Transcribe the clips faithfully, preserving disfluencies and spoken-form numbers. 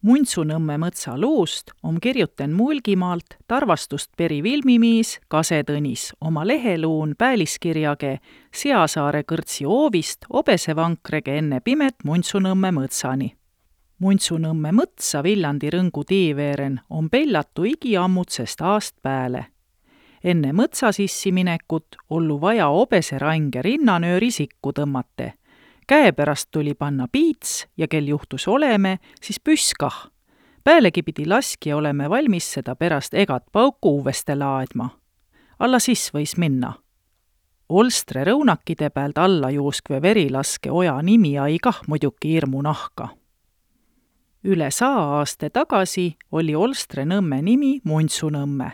Muntsunõmme mõtsa luust om kirjuten Mulgimaalt Tarvastust peri Vilmimiis Kase Tõnis oma leheluun pääliskirjage Seasaare kõrtsi oovist obesevankrege enne pimet Muntsunõmme mõtsani. Muntsunõmme mõtsa Viljandi rõngu tiiveeren on pellatu igiammutsest aast pääle. Enne mõtsa sissi minekut ollu vaja obese range rinnanööri sikku tõmmate. Käepärast tuli panna piits ja kel juhtus oleme, siis püskah. Päälegi pidi laskja oleme valmis seda pärast egat pauku uuveste laadma. Alla siis võis minna. Olstre rõunakide pealt alla juuskve verilaske oja nimi ai kah muidugi hirmu nahka. Üle saa aaste tagasi oli Olstre nõmme nimi Muntsunõmme.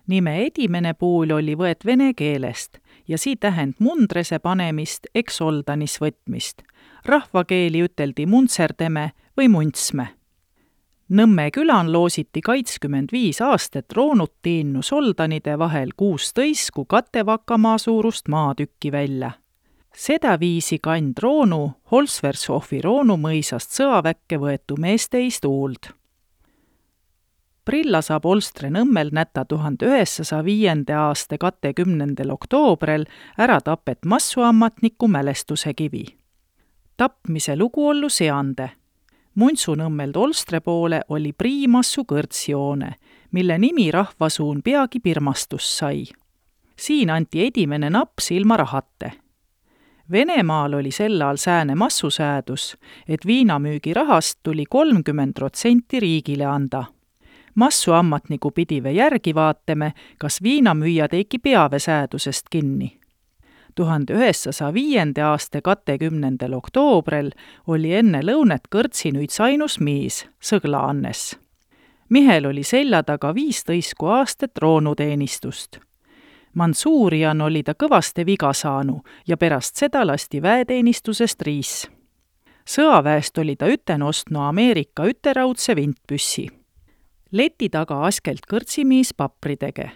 Nime edimene puul oli võet vene keelest ja sii tähend mundrese panemist eks oldanis võtmist. Rahvakeeli üteldi muntserdeme või muntsme. Nõmme külan loositi kaitskümmend viis aastat roonut tiinnu soldanide vahel kuustõisku katevakamaa suurust maatükki välja. Seda viisi kand roonu Holsvershofi roonu mõisast sõaväkke võetu meesteist uuld. Prilla saab Olstre nõmmel näta tuhande üheksasaja viienda aasta kakskümmendal oktoobrel ära tapet massuammatniku mälestuse kivi. Tapmise lugu ollu seande. Muntsunõmmeld Olstre poole oli priimassu kõrtsjoone, mille nimi rahvasuun peagi pirmastus sai. Siin anti edimene naps ilma rahate. Venemaal oli sel ajal sääne massusäädus, et viinamüügi rahast tuli kolmkümmend protsenti riigile anda. Massuammatniku pidive järgi vaatame, kas viinamüüja teiki peave säädusest kinni. tuhande üheksasaja viienda aasta kakskümmendal oktoobrel oli enne lõunet kõrtsinüid ainus miis, Sõgla Annes. Mihel oli selja taga viistõisku aastat roonuteenistust. Mansuurian oli ta kõvaste viga saanu ja pärast seda lasti väeteenistusest riis. Sõaväest oli ta üten ostnu Ameerika üteraudse vintpüssi. Leti taga askelt kõrtsimiis papridege.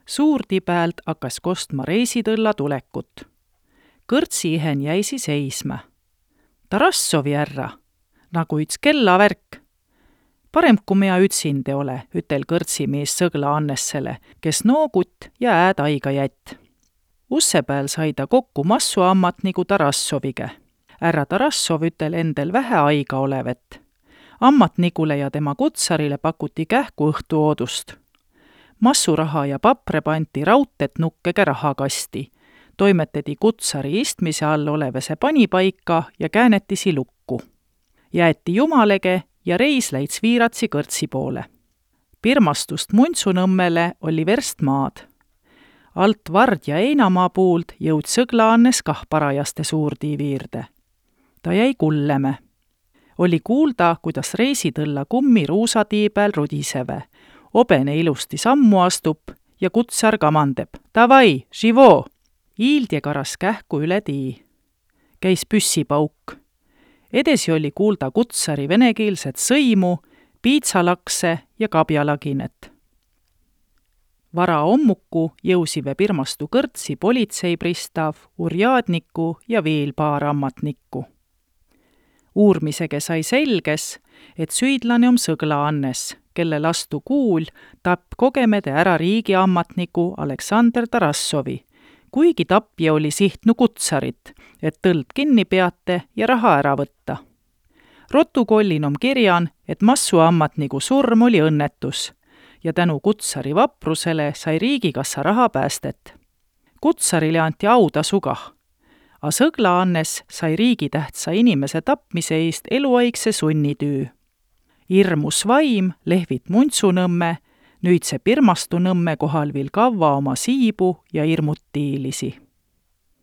Suurti päält hakkas kostma reisitõlla tulekut. Kõrtsi ihen jäisi seisma. Tarassovi ärra, nagu üts kellavärk. Parem, kui mea ütsinde ole, ütel kõrtsimiis Sõgla Annessele, kes noogut ja ääd aiga jätt. Usse pääl sai ta kokku massuammatniku Tarassovige. Ärra Tarassov ütel endel vähe aiga olevet. Ammatnikule ja tema kutsarile pakuti kähku õhtu oodust. Massuraha ja papre panti raudtet nukkege rahakasti. Toimetedi kutsari istmise all olevese panipaika ja käänetisi lukku. Jäeti jumalege ja reis läits viiratsi kõrtsi poole. Pirmastust Muntsunõmmele oli verst maad. Alt Vard ja Einamaa puult jõud Sõgla Annes kah parajaste suurtiiviirde. Ta jäi kulleme. Oli kuulda, kuidas reisitõlla kummi ruusatii peal rudiseve. Obene ilusti sammu astub ja kutsar kamandeb. Davai, živo! Iildje karas kähku üle tii. Käis püssipauk. Edesi oli kuulda kutsari venekeelset sõimu, piitsalakse ja kabjalaginet. Vara ommuku jõusive pirmastu kõrtsi politseipristav, urjaadniku ja veel paar ammatnikku. Uurmisege sai selges, et süüdlane on Sõgla Annes, kelle lastu kuul tapp kogemede ära riigiammatniku Aleksander Tarassovi, kuigi tapja oli sihtnu kutsarit, et tõld kinni peate ja raha ära võtta. Rotukollin on kirjan, et massuammatniku surm oli õnnetus ja tänu kutsari vaprusele sai riigikassa raha päästet. Kutsarile anti autasu kah. A Sõgla Annes sai riigitähtsa inimese tapmise eest eluaigse sunnitüü. Irmus vaim lehvit Muntsunõmme, nüüd see Pirmastu nõmme kohal vil kavva oma siibu ja irmutiilisi.